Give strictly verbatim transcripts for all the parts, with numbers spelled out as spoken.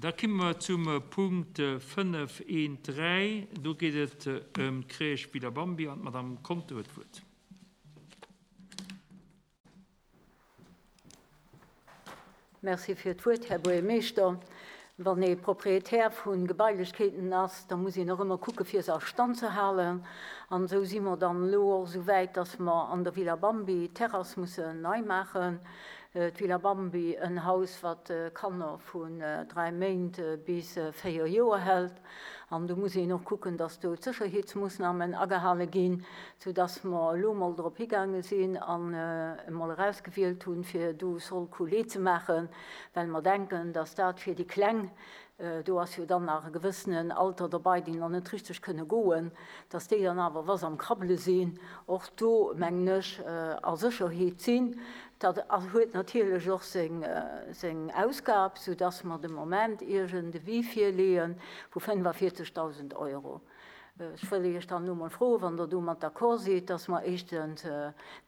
Da komme mer zum Punkt fënnef eent dräi. Do geet et ëm d'Crèche Villa Bambi an d'Madame Conter huet d'Wuert. Merci fir d'Wuert, Här Buergermeeschter. Wann ee Proprietär vu Gebailechkeeten ass, da muss een och ëmmer kucke fir se a Stand ze halen. An esou si mer dann elo och esou wäit, dass mer an der Villa Bambi d'Terrass mussen nei maachen. D'Villa Bambi, en Haus, wat Kanner vun dräi Méint bis véier Joer hält. An do muss een och kucken, dass do d'Sécherheetsmoossnamen agehale ginn, soudass mer elo mol drop higaange sinn an emol erausgewielt hunn, fir do Sol coulé ze maachen, well mer denken, dass dat fir déi Kleng, do ass jo dann nach e gewëssenen Alter dobei, déi nach net richteg kënne goen, dass déi dann awer, wa se am Krabbele sinn, och do, mengen ech, a Sécherheet sinn. Dat huet natierlech och seng, seng Ausgab, soudass mer de Moment Iech en Devis virleeë vu fënnefavierzegdausend Euro. Ech wëll Iech dann elo mol froen, wann Der domat d'accord sidd, dass mer éischtens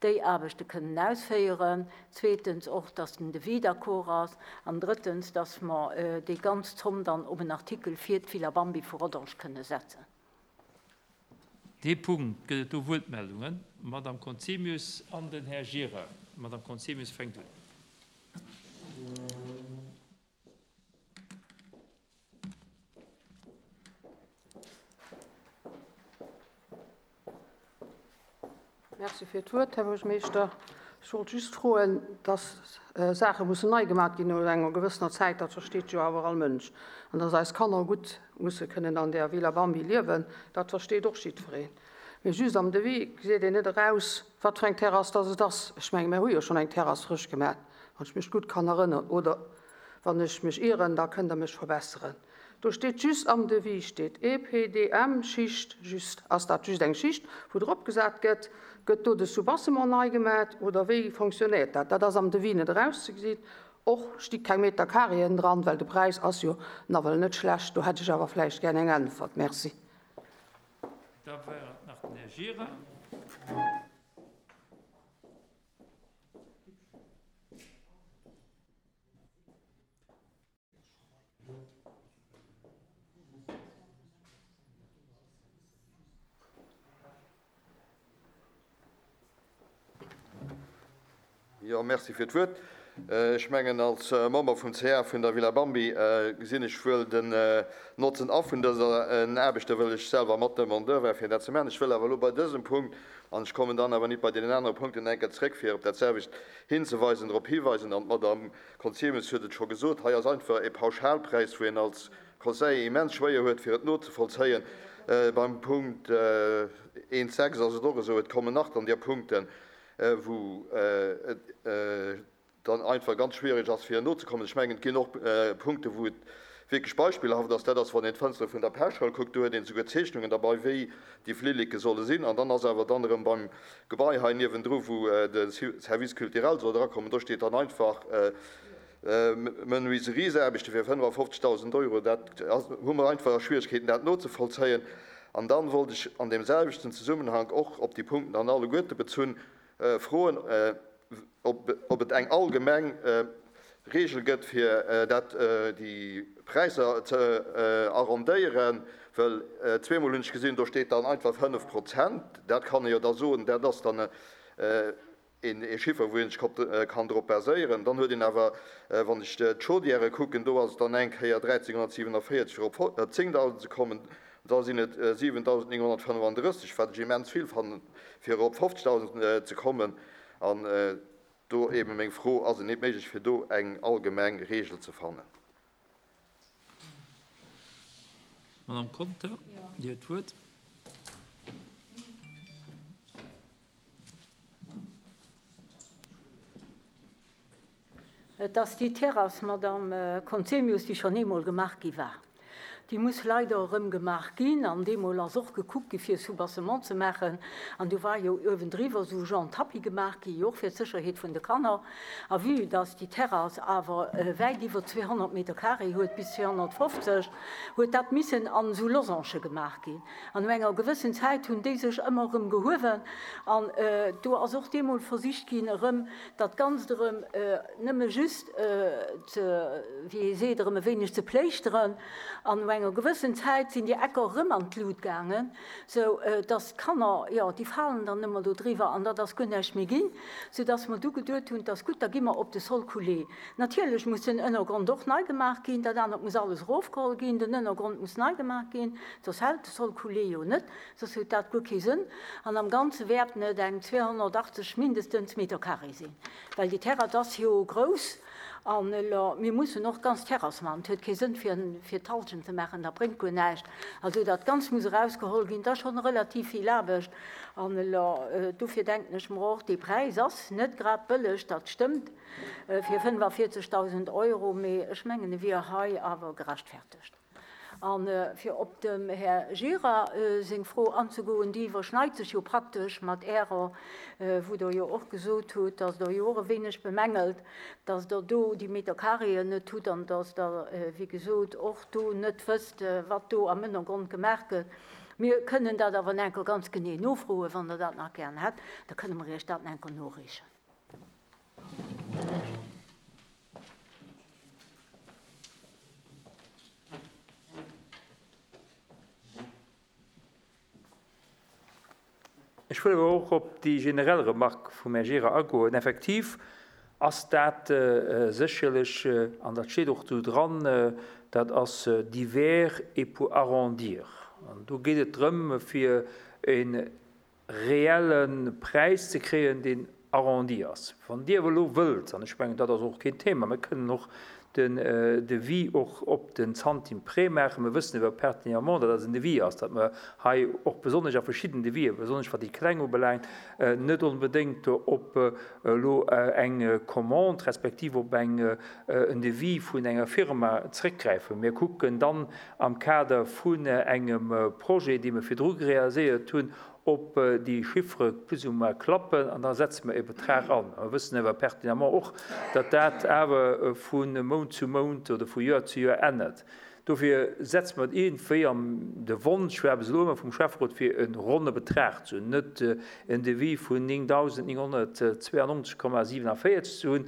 déi Aarbechte kënnen ausféieren, zweetens och, dass den Devis d'accord ass an drëttens, dass mer déi ganz Zomm dann op en Artikel fir d'Villa Bambi vu Rodange kënne setzen. Dee Punkt gëtt et do Wuertmeldungen. D'Madame Conzemius an den Här Gira. D'Madame Conzemius fänkt un. Merci fir d'Wuert, Här Buergermeeschter. Ech wollt just froen, dass Saache mussen nei gemaach ginn no enger gewëssener Zäit, dat versteet jo awer all Mënsch. An dass eis Kanner gutt musse kënnen an där Villa Bambi liewen, dat versteet och jiddwereen. Mee just am Devis gesäit een net eraus, wat fir eng Terrass dass et ass. Ech menge mir hu jo schonn eng Terrass frësch gemaach, wann ech mech gutt kann erënneren. Oder wann ech mech ieren, da kënnt Der mech verbesseren. Do steet just am Devis steet E P D M Schicht just. Ass dat just eng Schicht, wou drop gesat gëtt? Gëtt do de Soubassement nei gemaach oder wéi fonctionnéiert dat? Dat ass am Devis net erauszegesinn. Och sti keng Meter Carréen dran, well de Präis ass jo nawell net schlecht. Do hätt ech awer vläicht gär eng Äntwert. Merci. Da war et nach den Här Gira. Jo, merci fir d'Wuert. Ech mengen, als Member vum C A vun der Villa Bambi gesinn ech wuel den Notzen a vun dëser Aarbecht, wëll ech selwer mat Demandeur war, fir dat ze maachen. Ech wëll awer elo bei dësem Punkt, an ech kommen dann awer net bei den anderen Punkten enker zréck, fir op dat selwecht hinzeweisen, drop hiweisen, an d'Madame Conzemius huet et scho gesot, hei ass einfach e Pauschalpreis, wou een als Conseiller immens schwéier huet, fir et nozevollzéien. Beim Punkt eent sechs ass et och esou, et kommen nach dann déi Punkten, wou et dann einfach ganz schwierig ass, fir nozekommen. Ech mengen, et ginn och Punkte, wou et wierklech beispillhaft ass. Dat ass, wann een d'Fënstere vun der Pechschoul kuckt, do huet een souguer Zeechnungen dabei, wéi déi Flilleke solle sinn. An dann ass awer dann erëm beim Gebai hei niewendru, wou de Service culturel soll drakommen, do steet dann einfach Menuiseriesaarbechte fir fënnefafofzegdausend Euro. Dat hu mer einfach Schwierigkeeten, dat nozevollzéien. An dann wollt ech an dem selwechten Zusammenhang och op déi Punkten an alleguerte bezunn froen, ob, ob et eng allgemeng Regel gëtt, fir dat déi Präisser ze arrondéieren, well zweemol hunn ech gesinn, do steet dann einfach fënnef Prozent. Dat kann ee jo da soen, dat ass dann een Chiffer, wou een sech kann drop baséieren. Dann huet een awer, wann ech d'Chaudière kucken, do ass et dann eng Kéier dräizehnhunnertsiewenundvierzeg fir op zéngdausend ze kommen. Da sinn et siwentausendnénghunnertfënnefundrësseg, wat ech immens vill fannen, fir op fofzegdausend ze kommen. An do eben meng Fro, ass et net méiglech, fir do eng allgemeng Regel ze fannen? Madame Conter, Dir huet d'Wuert. Et ass déi Terrass, Madame Conzemius, déi schon eemol gemaach gi war. Déi muss leider erëm gemaach ginn an deemol ass och gekuckt gi fir Soubassement ze maachen an do war jo uewendriwwer esou genre Tapis gemaach gi jo och fir d'Sécherheet vun de Kanner. A vue dass déi Terrass awer wäit iwwer zweehonnert Meter carré huet, bis zweehonnertfofzeg, huet dat missen an esou Losange gemaach ginn. An no enger gewëssen Zäit hunn déi sech ëmmer erëm gehuewen an do ass och deemol versicht ginn erëm dat Ganzt erëm nëmme just ze, wéi ee seet, erëm e wéineg ze pléischteren. An no enger gewëssen Zäit sinn déi Ecker erëm an d'Lut gaangen, sou dass d'Kanner, jo, déi falen dann ëmmer do driwwer an dat ass guer näischt méi ginn, sou dass mer du geduet hunn, 't ass gutt, da gi mer op de Sol coulé. Natierlech muss den Ënnergrond och nei gemaach ginn, dat anert muss alles erofgeholl ginn, den Ënnergrond muss nei gemaach ginn, soss hält de Sol coulé jo net, soss huet dat guer kee Sënn. An am Ganze wäerten et eng zweehonnertachtzeg mindestens Meter carré sinn, well déi Terrass ass jo grouss. An elo, mir mussen och d'ganz Terrass maachen. Et huet kee Sënn, fir, fir d'Halschent ze maachen, dat bréngt guer näischt. Also dat Ganzt muss erausgeholl ginn, dat ass schonn relativ vill Aarbecht. An elo, dofir denken ech mer och, dee Präis ass net grad bëlleg, dat stëmmt, fir fënnefavierzegdausend Euro, mee ech mengen, e wier hei awer gerechtfertegt. An fir op dem Här Gira seng Fro anzegoen, déi iwwerschneit sech jo praktesch mat Ärer, wou Der jo och gesot hutt, dass Der jo och e wéineg bemängelt, dass Der do déi Metercarréen net hutt an dass Der, wéi gesot, och do net wësst, wat do am Ënnergrond gemaach gëtt. Mir kënnen dat awer enker ganz genee nofroen, wann Der dat nach gären hätt, da kënne mer Iech dat enker noreechen. Ech wëll awer och op déi generell Remarque vum Här Gira agoen. Effektiv ass dat sécherlech, an dat steet och do dran, dat ass divers et pour arrondir. An do geet et drëm, fir e reelle Präis ze kréien, deen arrondi ass. Wann Dir awer elo wëllt, an ech mengen, dat ass och keen Thema, mir kënnen och den Devis och op den Zantim près maachen. Mir wëssen iwwer pertinemment, datt dat en Devis ass, datt mer hei och besonnesch a verschidden Devisë, besonnesch wat déi Kleng ubelaangt, net onbedéngt op elo eng Commande respektiv op eng, en Devis vun enger Firma zréckgräifen. Mir kucken dann am Kader vun engem Projet, dee mir virdru realiséiert hunn, ob déi Chiffre plus ou moins klappen, an da setze mer e Betrag an. Mir wëssen awer pertinemment och, datt dat awer vu Mount zu Mount oder vu Joer zu Joer ännert. Dofir setze mer iergendwéi am de Wonsch, war bis elo ëmmer vum Schäfferot, fir e ronne Betrag ze hunn, net en Devis vun néngdausendnénghonnertzweiundneunzeg Komma siewenundvierzig ze hunn,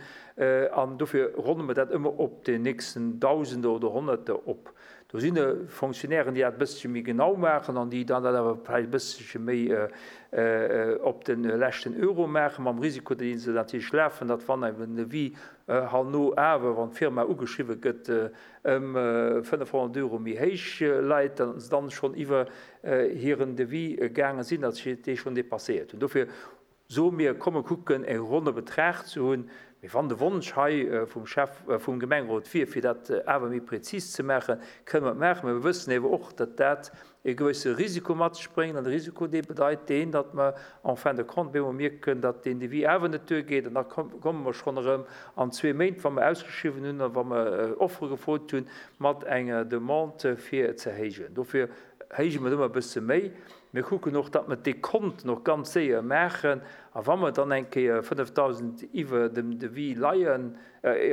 an dofir ronne mer dat ëmmer op den nächsten Dausende oder Honnerte op. Do sinn Fonctionnairen, déi dat e bëssche méi genau maachen an déi dann dat awer vläicht e bëssche méi op de leschten Euro maachen, mam Risiko, deen se natierlech lafen, datt wann engem Devis herno awer, wann d'Firma ugeschriwwe gëtt, ëm fënnefhonnert Euro méi héich leit, datt se dann schonn iwwer hiren Devis gaange sinn, datt se dee schonn dépasséiert hunn. Dofir soe mir, komme kucken, e ronne Betrag ze hunn. Mee wann de Wonsch hei vum Chef, vum Gemengerot wier, fir dat awer méi präzis ze maachen, kënne mer et maachen. Mee mir wëssen awer och, datt dat e gewësse Risiko mat sech bréngt. An de Risiko, dee bedeit deen, datt mer en fin de compte bemol mierken, datt deen Devis awer net duergeet. An da komme mer schonn erëm an zwee Méint, wa mer ausgeschriwwen hunn a wa mer Offere gefrot hunn, mat enger Demande fir ze héijen. Dofir héije mer ëmmer e bësse méi. Mir kucken och, datt mer d'Dekonten och ganz séier maachen. A wa mer dann eng Kéier fënnefdausend iwwer dem Devis leien,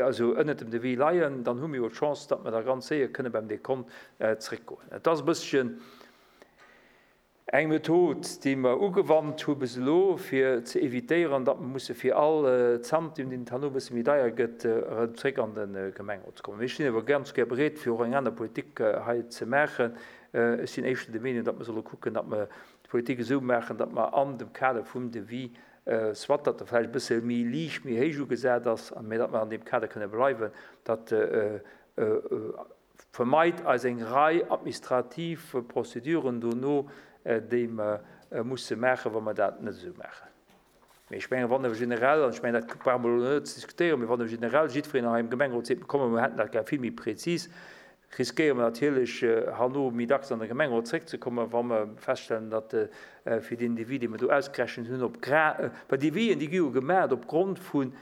also ënnert dem Devis leien, dann hu mir jo d'Chance, datt mer da ganz séier kënne beim Dekont zréckgoen. Et ass e bësschen eng Method, déi mer ugewannt hu bis elo, fir ze evitéieren, datt mer musse fir all Zantim, deen herno e bësse méi deier gëtt, erëm zréck an de Gemengerot ze kommen. Mir stinn awer ganz gär bereet, fir och eng aner Politik hei ze maachen. Ech sinn éischter der Meenung, datt mer solle kucken, datt mer d'Politik esou maachen, datt mer an dem Kader vum Devis, soit datt er vläicht e bësse méi liicht, méi héich ugesat ass, an mee datt mer an dem Kader kënne bleiwen, datt vermeit eis eng Rei administrativ Prozeduren dono, déi mer musse maachen, wa mer dat net esou maachen. Mee ech menge, wann wir generell, an ech menge, dat brauche mer elo net ze diskutéieren, mee wann wir generell jiddwereen hei im Gemengerot seet, komm, mir hätten dat gär vill méi präzis, riskéiere mer natierlech herno méi dacks an de Gemengerot zréckzekommen, wa mer feststellen, datt fir den Devis, dee mer do ausgerechnet hunn, op Gra-, well Devisien, déi gi jo gemaach opgrond vun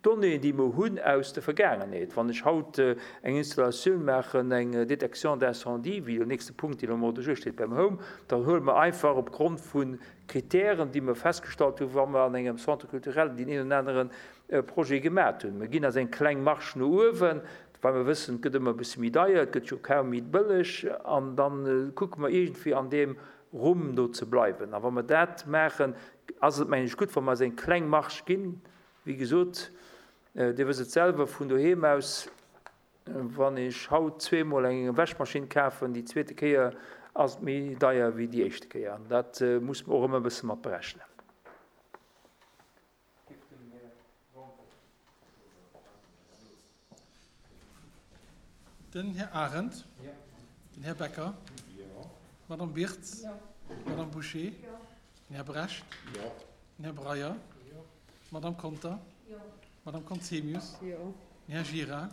Donnéeën, déi mer hunn aus der Vergaangenheet. Wann ech haut eng Installatioun maachen, eng Détection d'incendie, wéi den nächste Punkt, deen am Ordre du jour steet beim Home, dann huele mer einfach opgrond vu Kritären, déi mer festgestallt hunn, wa mer an engem Centre culturel deen een oder anere Projet gemat hunn. Mer ginn eis eng kleng Marge no uewen, well mer wëssen, et gëtt ëmmer e bësse méi deier, et gëtt jo kaum méi bëlleg, an da kucke mer iergendwéi an deem Rumm do ze bleiwen. A wa mer dat maachen, ass et, mengen ech, gutt, wa mer eis eng kleng Marge ginn. Wéi gesot, Dir wësst et selwer vun doheem aus, wann ech haut zweemol eng Wäschmaschinn kafen, déi zweete Kéier ass et méi deier wéi déi éischte Kéier. An dat muss mer och ëmmer e bësse mat berechnen. Den Här Arendt. Den Här Becker. D'Madame Birtz. D'Madame Bouché. Den Här Brecht. Den Här Breyer. D'Madame Conter. D'Madame Conzemius. Den Här Gira.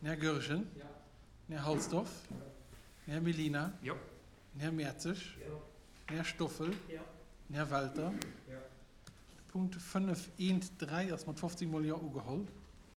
Den Här Goergen. Den Här Halsdorf. Den Här Mellina. Den Här Mertzig. Den Här Stoffel. Den Här Welter. De Punkt fënnef eent dräi ass mat fofzéng mol Jo ugeholl.